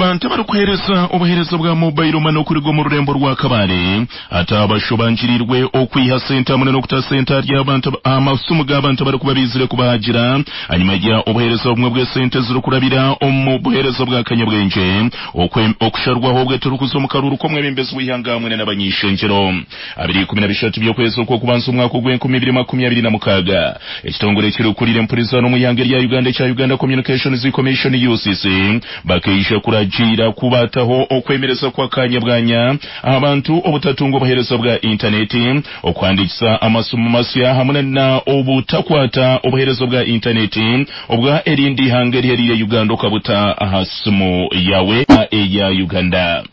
Abantu abarikuheereza obuheereza bwa mobile money okuruga omu rurembo rwa Kabale hati abashobangirirwe okwiha sente hamwe n'okuta sente ahari abantu aha masimu g'abantu abarikuba baizire kubahagira ahanyima ya obuheereza obumwe bw'esente ezirikurabira omu buheereza bwa kanyabwengye okusharwaho obwe turikuza omu karuuru k'omwebembezi w'eihanga hamwe n'abany'ishengyero. Abiri ikumi na bishatu by'okwezi okw'okubanza omwaka ogw'enkumi ibiri makumi abiri na mukaaga, ekitongore ekirikukurira empurizano omu ihanga erya Uganda ekya Uganda Communications Commission, UCC, bakaija kuragiira ku baataho okwemereza kw'akaanya bwanya aha bantu obutatunga obuheereza bwa intaneti, okuhandiikisa amasimu masya hamwe na obutakwata obuheereza bwa intaneti obwa erindi ihanga erihereire Uganda okabuta aha simu yaawe eya Uganda.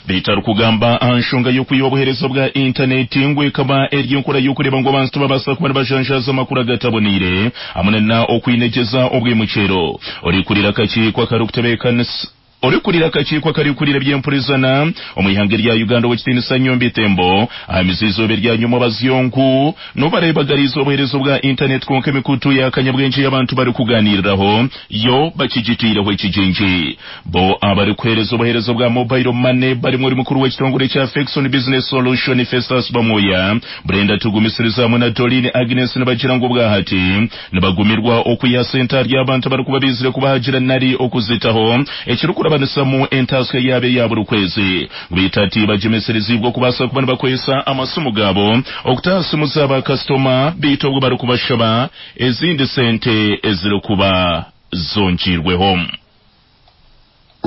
Beitu arikugamba aha nshonga y'okwiha obuheereza bwa intaneti ngu ekaba eri enkora y'okureeba ngu abantu tibabaasa kuba nibajanjaaza amakuru agataboneire hamwe na okwinegyeza obwimukyero. Orikurira akakiiko akarikutebeekanisa Orikurira akakiiko akarikukurira eby'empurizana omu ihanga erya Uganda Owekitiinisa Nyombi Thembo ahamize eizooba erya nyomwabazyo ngu n'obu bareebagariize obuheereza obwa intaneti kwonka emikutu ya kanyabwengye ei abantu barikugaaniiriraho yo bakigiteireho ekigingi. Bo abarikuheereza obuheereza bwa mobile money barimu ori mukuru w'ekitongore kya Fexon Business Solution Festus Bamwoya, Brenda Tugumisiriza hamwe na Doreen Agnes nibagira ngu obwahati nibagumirwa okwiha sente ahari abantu abarikuba baizire kubahagira nari okuzitaho ekirikurabanisamu entaasya yaabo eya buri kwezi. Beitu hati bagyemesereziibwe okubaasa kuba nibakozesa amasimu gaabo okuta aha simu za baakasitoma beitu obwo barikubashaba ezindi sente ezirikuba zongiirweho.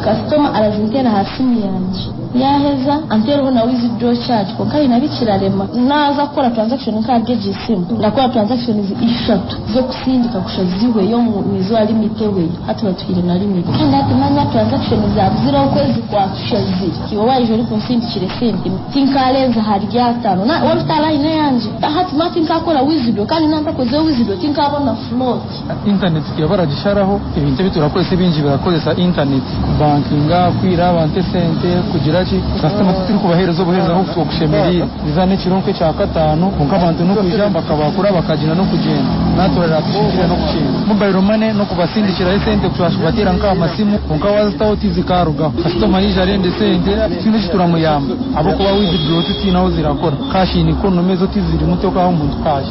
Kasitoma arazinteera aha simu yangye yaaheza anteereho na withdraw charge kwonka haine abu kirarema. Naaza kukora transaction nk'ahari egi simu ndakora transactions ishatu z'okusindika kusha zihweyo omu izooba limit ehweyo. Hati batuhaire na limit. Kandi hati manya transaction zaabuzire okwezi kwatushazire. Iwe waija orikunsindikira esente tinkaarenza ahari ataano. Waaba ota line eyangye hati manya tinkaakora withdraw kandi naaba ntakozire withdraw tinkaabona float. Intaneti tukaba baragisharaho, ebintu ebi turakozesa ebingi birakozesa intaneti, kubankinga, kwihira abantu esente, kugira ki. Kasitoma titurikubaheereza obuheereza nk'oku okushemereire. Niza n'ekiro nk'ekyakataano kwonka abantu n'okwija bakabakura bakagyenda n'okugyenda. Naaturaara tushukire n'okukinga. Mobile money n'okubasindikiraho esente kubateera nk'aha masimu kwonka waazitaho tizikaarugaho. Kasitoma yaija arenda esente titwine eki turamuyamba ahabw'okuba withdraw titiine ahu zirakora. Cash in economy ezo tizirimu tokaha omuntu cash.